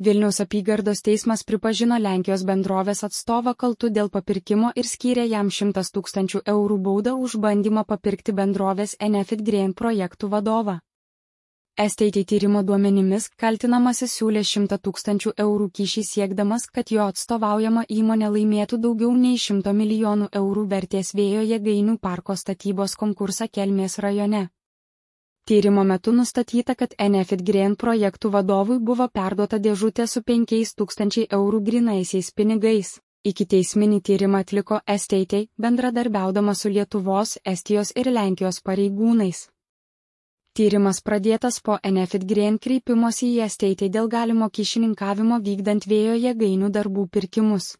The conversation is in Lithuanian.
Vilniaus apygardos teismas pripažino Lenkijos bendrovės atstovą kaltu dėl papirkimo ir skyrė jam 100 000 eurų baudą už bandymą papirkti bendrovės Enefit Green projektų vadovą. STT tyrimo duomenimis kaltinamasis siūlė 100 000 eurų kyšį siekdamas, kad jo atstovaujama įmonė laimėtų daugiau nei 100 milijonų eurų vertės vėjo jėgainių parko statybos konkursą Kelmės rajone. Tyrimo metu nustatyta, kad Enefit Green projektų vadovui buvo perduota dėžutė su 5 000 eurų grynaisiais pinigais. Ikiteisminį tyrimą atliko STT bendradarbiaudama su Lietuvos, Estijos ir Lenkijos pareigūnais. Tyrimas pradėtas po Enefit Green kreipimosi į STT dėl galimo kyšininkavimo vykdant vėjo jėgainių darbų pirkimus.